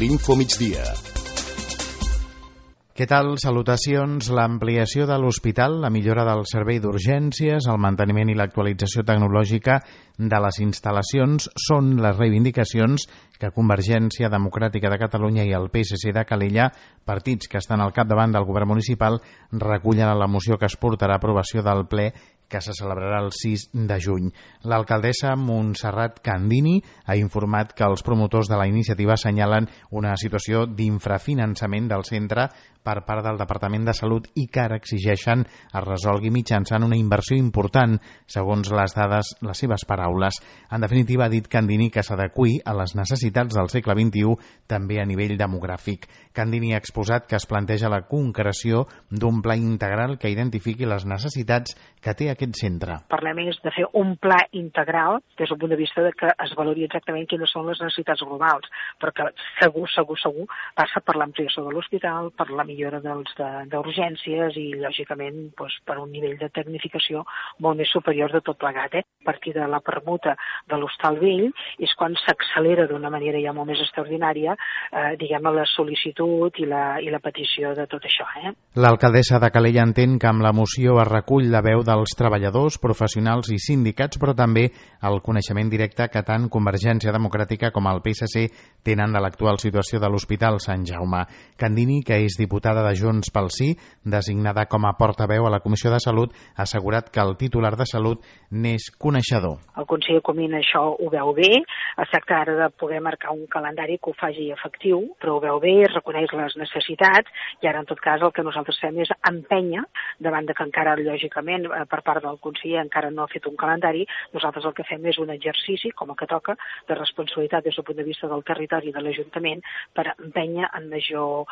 l'Info Migdia. Què tal? Salutacions. L'ampliació de l'hospital, la millora del servei d'urgències, el manteniment i l'actualització tecnològica de les instal·lacions són les reivindicacions que Convergència Democràtica de Catalunya i el PSC de Calella, partits que estan al capdavant del govern municipal, recullen a la moció que es portarà a aprovació del ple que se celebrarà el 6 de juny. L'alcaldessa Montserrat Candini ha informat que els promotors de la iniciativa assenyalen una situació d'infrafinançament del centre per part del Departament de Salut i que ara exigeixen es resolgui mitjançant una inversió important, segons les dades, les seves paraules. En definitiva, ha dit Candini que s'adeqüi a les necessitats del segle XXI, també a nivell demogràfic. Candini ha exposat que es planteja la concreció d'un pla integral que identifiqui les necessitats que té aquest centre. Parlem de fer un pla integral des del punt de vista de que es valori exactament quines són les necessitats globals, perquè segur passa per l'ampliació de l'hospital, per la millora d'urgències i, lògicament, per un nivell de tecnificació molt més superior de tot plegat. A partir de la permuta de l'Hostal Vell és quan s'accelera d'una manera ja molt més extraordinària la sol·licitud i la petició de tot això. L'alcaldessa de Calella entén que amb la moció es recull la veu dels treballadors, professionals i sindicats, però també el coneixement directe que tant Convergència Democràtica com el PSC tenen de l'actual situació de l'Hospital Sant Jaume. Candini, que és diputada de Junts pel Sí, designada com a portaveu a la Comissió de Salut, ha assegurat que el titular de Salut n'és coneixedor. El conseller Comín això ho veu bé, es tracta ara de poder marcar un calendari que ho faci efectiu, però ho veu bé, reconeix les necessitats i ara en tot cas el que nosaltres fem és empènyer davant de que encara lògicament per part del conseller encara no ha fet un calendari. Nosaltres el que fem és un exercici, com el que toca, de responsabilitat des del punt de vista del territori i de l'Ajuntament per empènyer en major,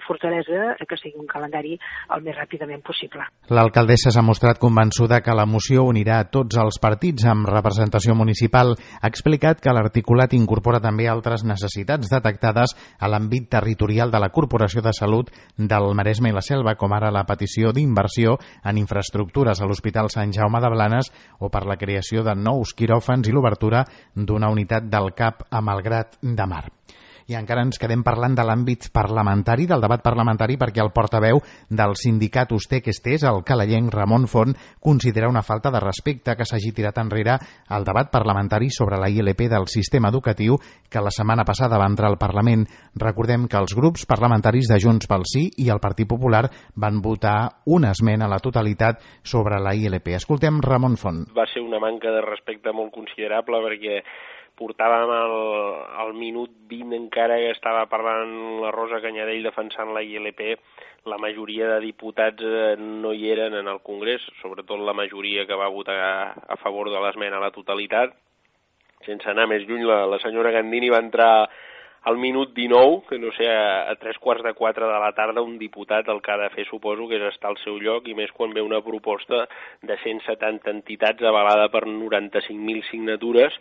fortalesa que sigui un calendari el més ràpidament possible. L'alcaldessa s'ha mostrat convençuda que la moció unirà a tots els partits amb representació municipal. Ha explicat que l'articulat incorpora també altres necessitats detectades a l'àmbit territorial de la Corporació de Salut del Maresme i la Selva, com ara la petició d'inversió en infraestructures a l'Hospital Sant Jaume de Blanes o per la creació de nous quiròfans i l'obertura d'una unitat del CAP a Malgrat de Mar. I encara ens quedem parlant de l'àmbit parlamentari, del debat parlamentari, perquè el portaveu del sindicat Usté-que-Estés, el calellenc Ramon Font, considera una falta de respecte que s'hagi tirat enrere el debat parlamentari sobre la ILP del sistema educatiu que la setmana passada va entrar al Parlament. Recordem que els grups parlamentaris de Junts pel Sí i el Partit Popular van votar una esmena a la totalitat sobre la ILP. Escoltem Ramon Font. Va ser una manca de respecte molt considerable perquè portàvem al minut 20 encara que estava parlant la Rosa Canyadell defensant la ILP. La majoria de diputats no hi eren en el Congrés, sobretot la majoria que va votar a favor de l'esmena a la totalitat. Sense anar més lluny, la senyora Candini va entrar al minut 19, que no sé, a 3:45 de la tarda, un diputat el que ha de fer, suposo, que és estar al seu lloc, i més quan ve una proposta de 170 entitats avalada per 95.000 signatures,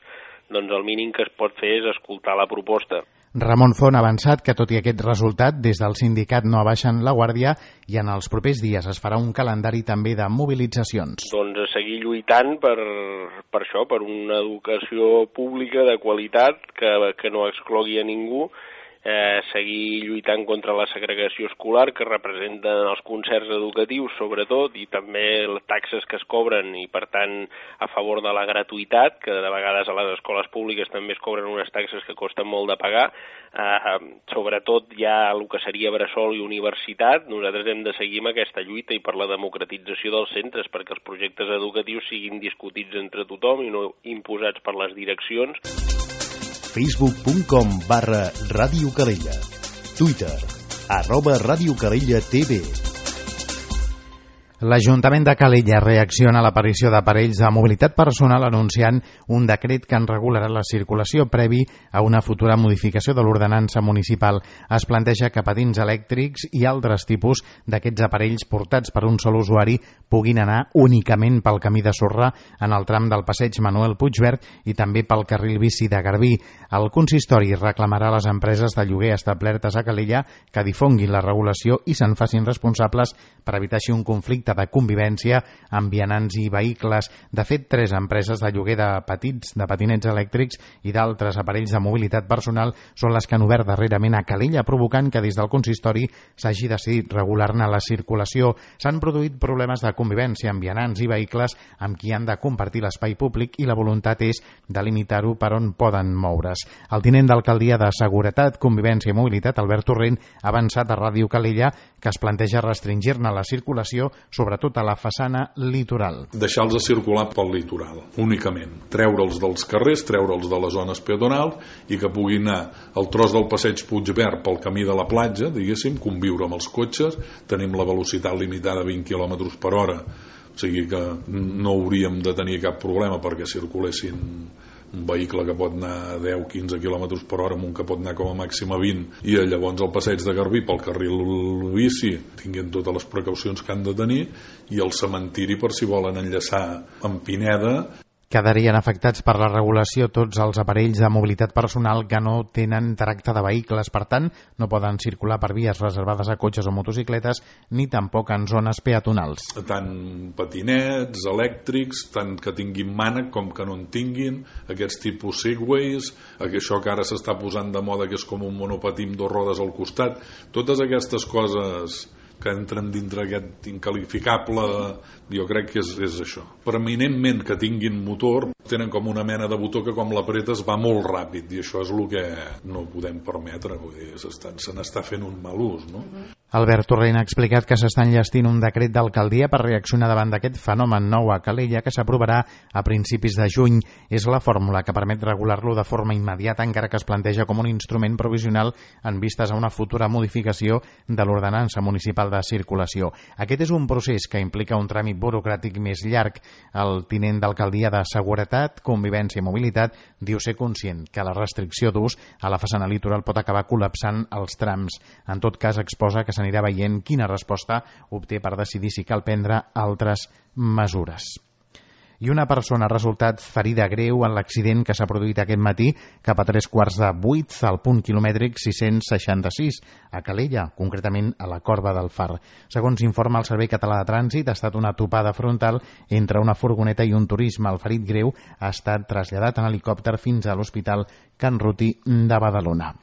doncs el mínim que es pot fer és escoltar la proposta. Ramon Font ha avançat que, tot i aquest resultat, des del sindicat no abaixen la guàrdia i en els propers dies es farà un calendari també de mobilitzacions. Doncs a seguir lluitant per això, per una educació pública de qualitat que no exclogui a ningú, seguir lluitant contra la segregació escolar que representen els concerts educatius sobretot, i també les taxes que es cobren, i per tant a favor de la gratuïtat, que de vegades a les escoles públiques també es cobren unes taxes que costen molt de pagar. Sobretot ja el que seria bressol i universitat, nosaltres hem de seguir amb aquesta lluita i per la democratització dels centres, perquè els projectes educatius siguin discutits entre tothom i no imposats per les direccions. Facebook.com/Ràdio Calella. Twitter @Ràdio Calella TV. L'Ajuntament de Calella reacciona a l'aparició d'aparells de mobilitat personal anunciant un decret que en regularà la circulació previ a una futura modificació de l'ordenança municipal. Es planteja que patins elèctrics i altres tipus d'aquests aparells portats per un sol usuari puguin anar únicament pel camí de sorra en el tram del passeig Manuel Puigverd i també pel carril bici de Garbí. El consistori reclamarà a les empreses de lloguer establertes a Calella que difonguin la regulació i se'n facin responsables per evitar així un conflicte conflicte de convivència amb vianants i vehicles. De fet, 3 empreses de lloguer de patinets elèctrics i d'altres aparells de mobilitat personal són les que han obert darrerament a Calella, provocant que des del consistori s'hagi decidit regular-ne la circulació. S'han produït problemes de convivència amb vianants i vehicles amb qui han de compartir l'espai públic i la voluntat és delimitar-ho per on poden moure's. El tinent d'alcaldia de Seguretat, Convivència i Mobilitat, Albert Torrent, ha avançat a Ràdio Calella que es planteja restringir-ne la circulació, sobretot a la façana litoral. Deixar-los circular pel litoral, únicament. Treure'ls dels carrers, treure'ls de les zones peatonals i que puguin anar al tros del passeig Puigverd pel camí de la platja, diguéssim, conviure amb els cotxes. Tenim la velocitat limitada a 20 km per hora, o sigui que no hauríem de tenir cap problema perquè circulessin un vehicle que pot anar a 10-15 km per hora amb un que pot anar com a màxim a 20, i llavors el passeig de Garbí pel carril bici tinguin totes les precaucions que han de tenir, i el cementiri per si volen enllaçar amb Pineda. Quedarien afectats per la regulació tots els aparells de mobilitat personal que no tenen tracte de vehicles, per tant, no poden circular per vies reservades a cotxes o motocicletes, ni tampoc en zones peatonals. Tant patinets, elèctrics, tant que tinguin mànec com que no en tinguin, aquests tipus segways, això que ara s'està posant de moda, que és com un monopatí amb 2 rodes al costat, totes aquestes coses que entren dintre aquest incalificable, jo crec que és això. Permanentment que tinguin motor, tenen com una mena de botó que com l'apretes va molt ràpid, i això és el que no podem permetre, vull dir, se n'està fent un mal ús, no? Albert Torrent ha explicat que s'està enllestint un decret d'alcaldia per reaccionar davant d'aquest fenomen nou a Calella que s'aprovarà a principis de juny. És la fórmula que permet regular-lo de forma immediata, encara que es planteja com un instrument provisional en vistes a una futura modificació de l'ordenança municipal de circulació. Aquest és un procés que implica un tràmit burocràtic més llarg. El tinent d'alcaldia de Seguretat, Convivència i Mobilitat diu ser conscient que la restricció d'ús a la façana litoral pot acabar col·lapsant els trams. En tot cas, exposa que s'anirà veient quina resposta obté per decidir si cal prendre altres mesures. I una persona ha resultat ferida greu en l'accident que s'ha produït aquest matí cap a 7:45 al punt quilomètric 666 a Calella, concretament a la Corba del Far. Segons informa el Servei Català de Trànsit, ha estat una topada frontal entre una furgoneta i un turisme. El ferit greu ha estat traslladat en helicòpter fins a l'Hospital Can Ruti de Badalona.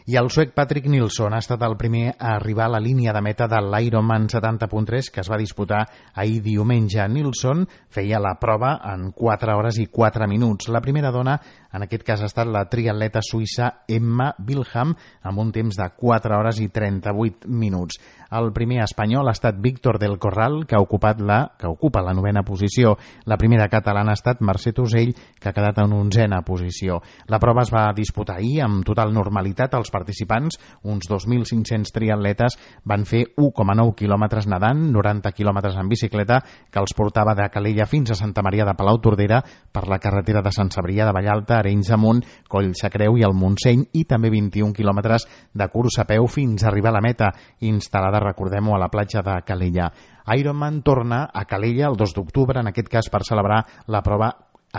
I el suec Patrick Nilsson ha estat el primer a arribar a la línia de meta de l'Ironman 70.3 que es va disputar ahir diumenge. Nilsson feia la prova en 4 hores i 4 minuts. La primera dona, en aquest cas, ha estat la triatleta suïssa Emma Wilhelm, amb un temps de 4 hores i 38 minuts. El primer espanyol ha estat Víctor del Corral, que ocupa la 9ª posició. La primera catalana ha estat Mercè Tosell, que ha quedat en 11ª posició. La prova es va disputar ahir amb total normalitat. Els participants, uns 2.500 triatletes, van fer 1,9 quilòmetres nedant, 90 quilòmetres en bicicleta, que els portava de Calella fins a Santa Maria de Palautordera per la carretera de Sant Cebrià de Vallalta, Arenys de Munt, Collsacreu i el Montseny, i també 21 quilòmetres de curs a peu fins a arribar a la meta, instal·lada, recordem-ho, a la platja de Calella. Ironman torna a Calella el 2 d'octubre, en aquest cas per celebrar la prova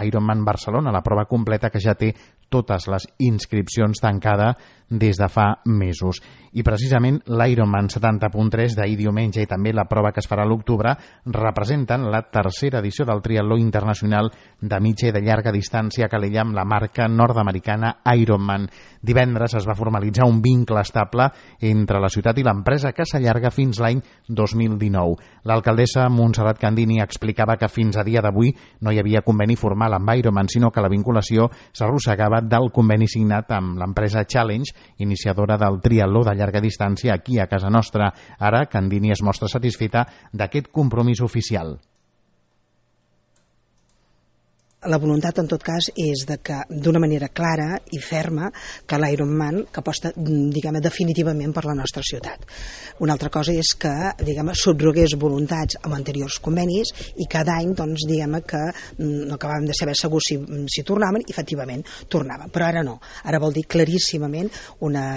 Ironman Barcelona, la prova completa que ja té totes les inscripcions tancades des de fa mesos. I precisament l'Ironman 70.3 d'ahir diumenge i també la prova que es farà a l'octubre representen la 3a edició del triatló internacional de mitja i de llarga distància a Calella amb la marca nord-americana Ironman. Divendres es va formalitzar un vincle estable entre la ciutat i l'empresa que s'allarga fins l'any 2019. L'alcaldessa Montserrat Candini explicava que fins a dia d'avui no hi havia conveni formal amb Ironman, sinó que la vinculació s'arrossegava del conveni signat amb l'empresa Challenge, iniciadora del triatló de llarga distància aquí a casa nostra. Ara, Candini es mostra satisfeta d'aquest compromís oficial. La voluntat, en tot cas, és de que, d'una manera clara i ferma, que l'Ironman que aposta, diguem, definitivament per la nostra ciutat. Una altra cosa és que, diguem, subrogués voluntats amb anteriors convenis i cada any, doncs, diguem, que no acabàvem de saber segur si tornaven, i efectivament tornaven. Però ara no. Ara vol dir claríssimament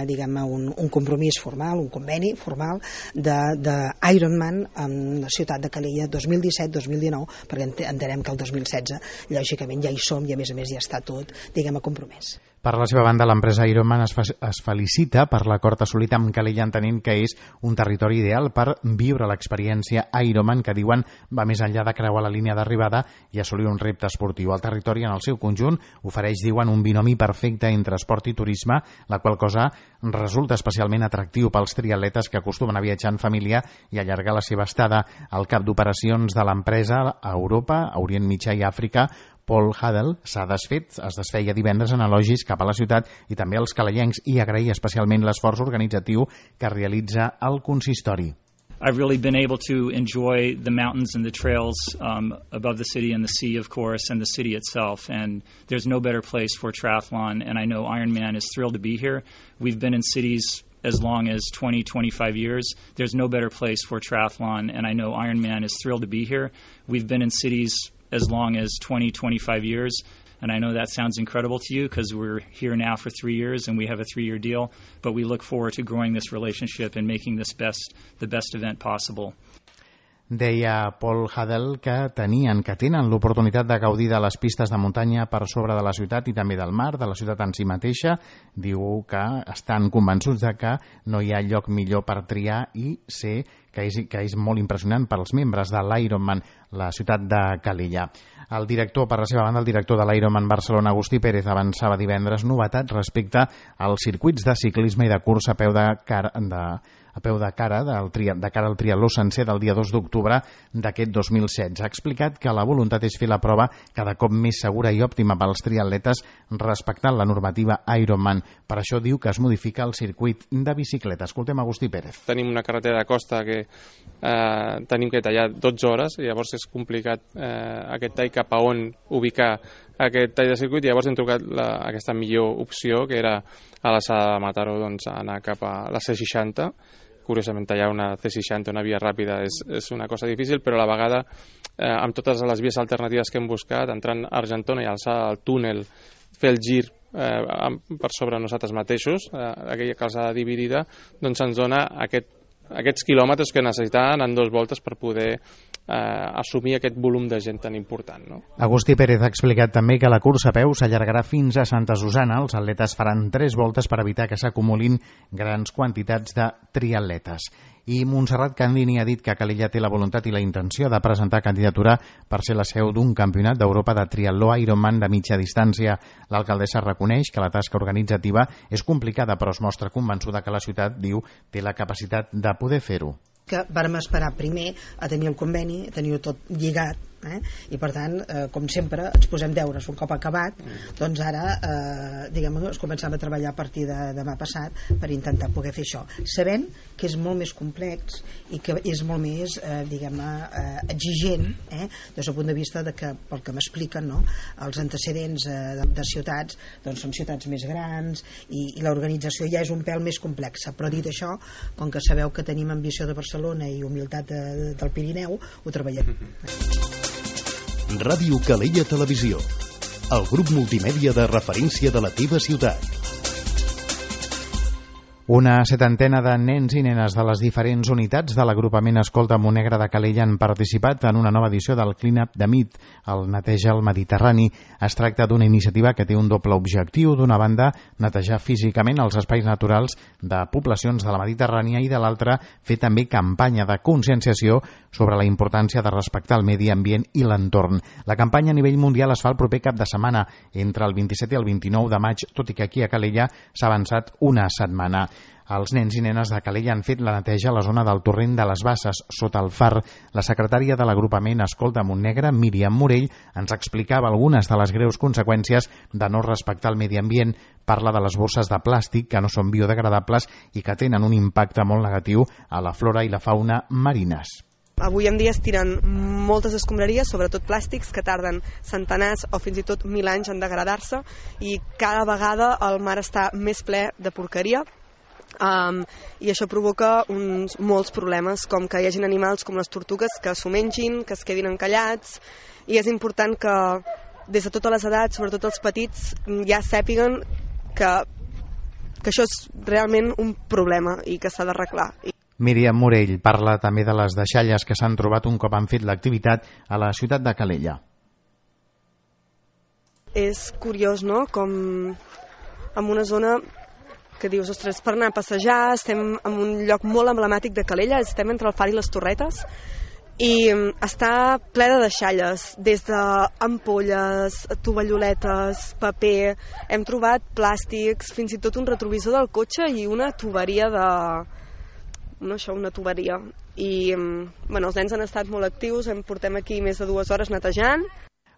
diguem, un compromís formal, un conveni formal d'Ironman amb la ciutat de Calella 2017-2019, perquè entenem que el 2016, lògicament, ja hi som i a més ja està tot, diguem, compromès. Per la seva banda, l'empresa Ironman es felicita per l'acord assolit amb Calella, entenent que és un territori ideal per viure l'experiència Ironman, que diuen va més enllà de creuar la línia d'arribada i assolir un repte esportiu. El territori en el seu conjunt ofereix, diuen, un binomi perfecte entre esport i turisme, la qual cosa resulta especialment atractiu pels triatletes que acostumen a viatjar en família i allargar la seva estada. El cap d'operacions de l'empresa a Europa, a Orient Mitjà i Àfrica, Paul Hadel, es desfeia divendres en elogis cap a la ciutat i també als calellencs i agrair especialment l'esforç organitzatiu que realitza el consistori. I've really been able to enjoy the mountains and the trails above the city and the sea, of course, and the city itself. And there's no better place for triathlon, and I know Ironman is thrilled to be here. We've been in cities as long as 20, 25 years. There's no better place for triathlon, and I know Ironman is thrilled to be here. We've been in cities as long as 20, 25 years. And I know that sounds incredible to you because we're here now for 3 years and we have a 3-year deal, but we look forward to growing this relationship and making this the best event possible. Deia Paul Hadel que tenen l'oportunitat de gaudir de les pistes de muntanya per sobre de la ciutat i també del mar, de la ciutat en si mateixa. Diu que estan convençuts de que no hi ha lloc millor per triar i sé que és molt impressionant per als membres de l'Ironman, la ciutat de Calella. Per la seva banda, el director de l'Ironman Barcelona, Agustí Pérez, avançava divendres novetats respecte als circuits de ciclisme i de cursa a peu de cara al triatló sencer del dia 2 d'octubre d'aquest 2016. Ha explicat que la voluntat és fer la prova cada cop més segura i òptima pels triatletes respectant la normativa Ironman. Per això diu que es modifica el circuit de bicicleta. Escoltem Agustí Pérez. Tenim una carretera de costa que tenim que tallar 12 hores i llavors és complicat aquest tall cap a on ubicar aquest tall de circuit, i llavors hem trucat aquesta millor opció, que era a la Sala de Mataró, doncs, anar cap a la C60. Curiosament, tallar una C60, una via ràpida, és una cosa difícil, però a la vegada, amb totes les vies alternatives que hem buscat, entrant a Argentona i alçar el túnel, fer el gir per sobre nosaltres mateixos, aquella calçada dividida, doncs ens dona aquests quilòmetres que necessitaven en 2 voltes per poder assumir aquest volum de gent tan important, no? Agustí Pérez ha explicat també que la cursa a peu s'allargarà fins a Santa Susana. Els atletes faran 3 voltes per evitar que s'acumulin grans quantitats de triatletes. I Montserrat Candini ha dit que Calella té la voluntat i la intenció de presentar candidatura per ser la seu d'un campionat d'Europa de triatló Ironman de mitja distància. L'alcaldessa reconeix que la tasca organitzativa és complicada, però es mostra convençuda que la ciutat, diu, té la capacitat de poder fer-ho. Que vàrem esperar primer a tenir el conveni, a tenir-ho tot lligat, i per tant, com sempre, ens posem deures un cop acabat, doncs ara es començam a treballar a partir de demà passat per intentar poder fer això, sabent que és molt més complex i que és molt més exigent, des del punt de vista de que, pel que m'expliquen, no? Els antecedents de ciutats doncs són ciutats més grans i l'organització ja és un pèl més complexa, però dit això, com que sabeu que tenim ambició de Barcelona i humilitat del Pirineu, ho treballem. Ràdio Calella Televisió, el grup multimèdia de referència de la teva ciutat. Una 70ena de nens i nenes de les diferents unitats de l'agrupament Escolta Montnegre de Calella han participat en una nova edició del Clean Up the Med, el Neteja el Mediterrani. Es tracta d'una iniciativa que té un doble objectiu. D'una banda, netejar físicament els espais naturals de poblacions de la Mediterrània i de l'altra, fer també campanya de conscienciació sobre la importància de respectar el medi ambient i l'entorn. La campanya a nivell mundial es fa el proper cap de setmana, entre el 27 i el 29 de maig, tot i que aquí a Calella s'ha avançat una setmana. Els nens i nenes de Calella han fet la neteja a la zona del torrent de les Basses, sota el far. La secretària de l'agrupament Escolta Montnegre, Míriam Morell, ens explicava algunes de les greus conseqüències de no respectar el medi ambient. Parla de les bosses de plàstic que no són biodegradables i que tenen un impacte molt negatiu a la flora i la fauna marines. Avui en dia es tiren moltes escombraries, sobretot plàstics, que tarden centenars o fins i tot 1.000 anys en degradar-se, i cada vegada el mar està més ple de porqueria. I això provoca molts problemes, com que hi hagin animals com les tortugues que s'ho mengin, que es quedin encallats, i és important que des de totes les edats, sobretot els petits, ja sàpiguen que això és realment un problema i que s'ha d'arreglar. Míriam Morell parla també de les deixalles que s'han trobat un cop han fet l'activitat a la ciutat de Calella. És curiós, no?, com en una zona que dius, ostres, per anar a passejar, estem en un lloc molt emblemàtic de Calella, estem entre el Far i les Torretes, i està ple de deixalles, des d'ampolles, tovalloletes, paper, hem trobat plàstics, fins i tot un retrovisor del cotxe i una tuberia una tuberia. I els nens han estat molt actius, portem aquí més de 2 hores netejant.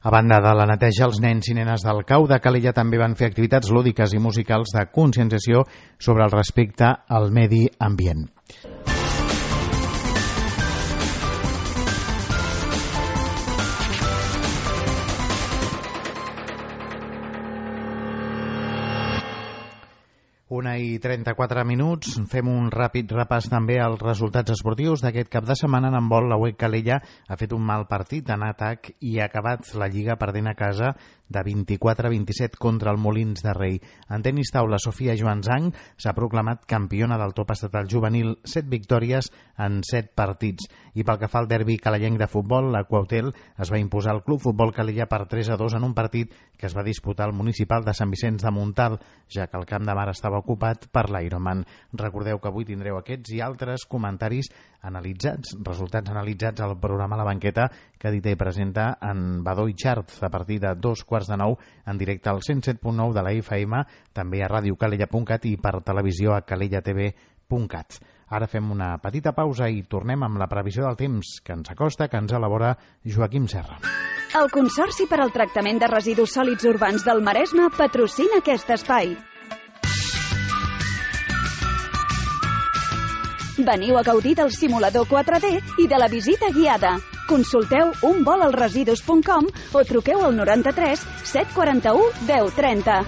A banda de la neteja, els nens i nenes del CAU de Calella també van fer activitats lúdiques i musicals de conscienciació sobre el respecte al medi ambient. Una i 34 minuts. Fem un ràpid repàs també als resultats esportius d'aquest cap de setmana. En handbol, la UEC Calella ha fet un mal partit en atac i ha acabat la Lliga perdent a casa de 24-27 contra el Molins de Rei. En tenis taula, Sofia Joanzang s'ha proclamat campiona del top estatal juvenil, 7 victòries en 7 partits. I pel que fa al derbi calellenc de futbol, la Quautel es va imposar al Club Futbol Calella per 3-2 en un partit que es va disputar al municipal de Sant Vicenç de Montalt, ja que el camp de mar estava ocupat per l'Ironman. Recordeu que avui tindreu aquests i altres comentaris analitzats, resultats analitzats al programa La Banqueta, que edita i presenta en Badó i Xart a partir de 2:45 en directe al 107.9 de la FM, també a radiocalella.cat i per televisió a calellatv.cat. Ara fem una petita pausa i tornem amb la previsió del temps que ens acosta, que ens elabora Joaquim Serra. El Consorci per al Tractament de Residus Sòlids Urbans del Maresme patrocina aquest espai. Veniu a gaudir del simulador 4D i de la visita guiada. Consulteu unvolalresidus.com o truqueu al 93 741 1030.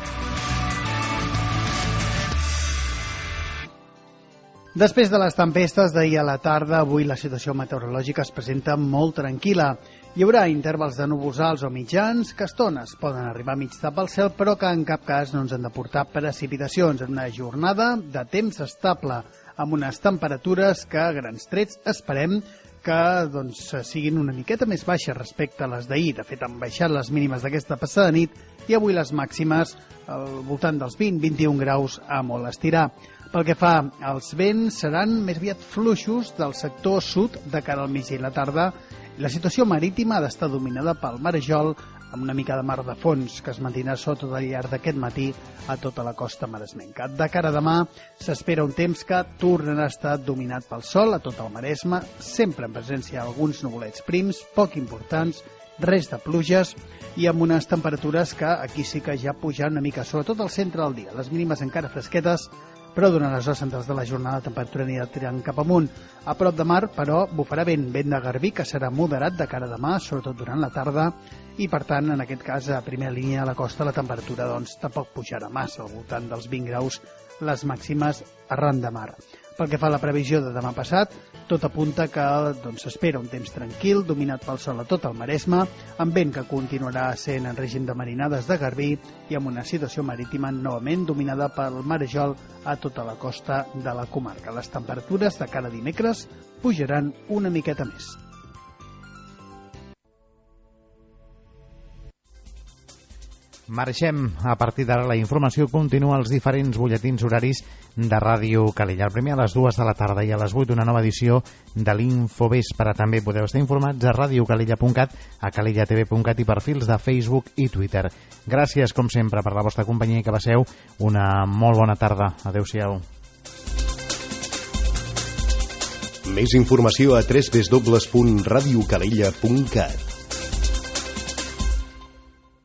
Després de les tempestes d'ahir a la tarda, avui la situació meteorològica es presenta molt tranquil·la. Hi haurà intervals de núvols alts o mitjans que a estones poden arribar a mig tapar el cel, però que en cap cas no ens han de portar precipitacions en una jornada de temps estable, amb unes temperatures que a grans trets esperem que siguin una miqueta més baixes respecte a les d'ahir. De fet, han baixat les mínimes d'aquesta passada nit i avui les màximes al voltant dels 20-21 graus a molt estirar. Pel que fa als vents, seran més aviat fluixos del sector sud de cara al migdia i la tarda. La situació marítima ha d'estar dominada pel marejol, amb una mica de mar de fons que es mantindrà sota al llarg d'aquest matí a tota la costa maresmenca. De cara a demà s'espera un temps que tornarà a estar dominat pel sol a tot el Maresme, sempre en presència d'alguns nuvolets prims, poc importants, res de pluges i amb unes temperatures que aquí sí que ja pujaran una mica, sobretot al centre del dia. Les mínimes encara fresquetes, però durant les hores centrals de la jornada la temperatura anirà tirant cap amunt. A prop de mar, però, bufarà vent de garbí, que serà moderat de cara a demà, sobretot durant la tarda, i per tant, en aquest cas, a primera línia a la costa, la temperatura tampoc pujarà massa, al voltant dels 20 graus les màximes arran de mar. Pel que fa a la previsió de demà passat, tot apunta que s'espera un temps tranquil, dominat pel sol a tot el Maresme, amb vent que continuarà sent en règim de marinades de garbí i amb una situació marítima novament dominada pel marejol a tota la costa de la comarca. Les temperatures de cada dimecres pujaran una miqueta més. Marxem. A partir d'ara la informació continua als diferents butlletins horaris de Ràdio Calella. El primer a les 2 de la tarda i a les 8 una nova edició de l'Infovespre. També podeu estar informats a radiocalella.cat, a calellatv.cat i perfils de Facebook i Twitter. Gràcies, com sempre, per la vostra companyia i que passeu una molt bona tarda. Adéu-siau. Més informació a www.radiocalella.cat.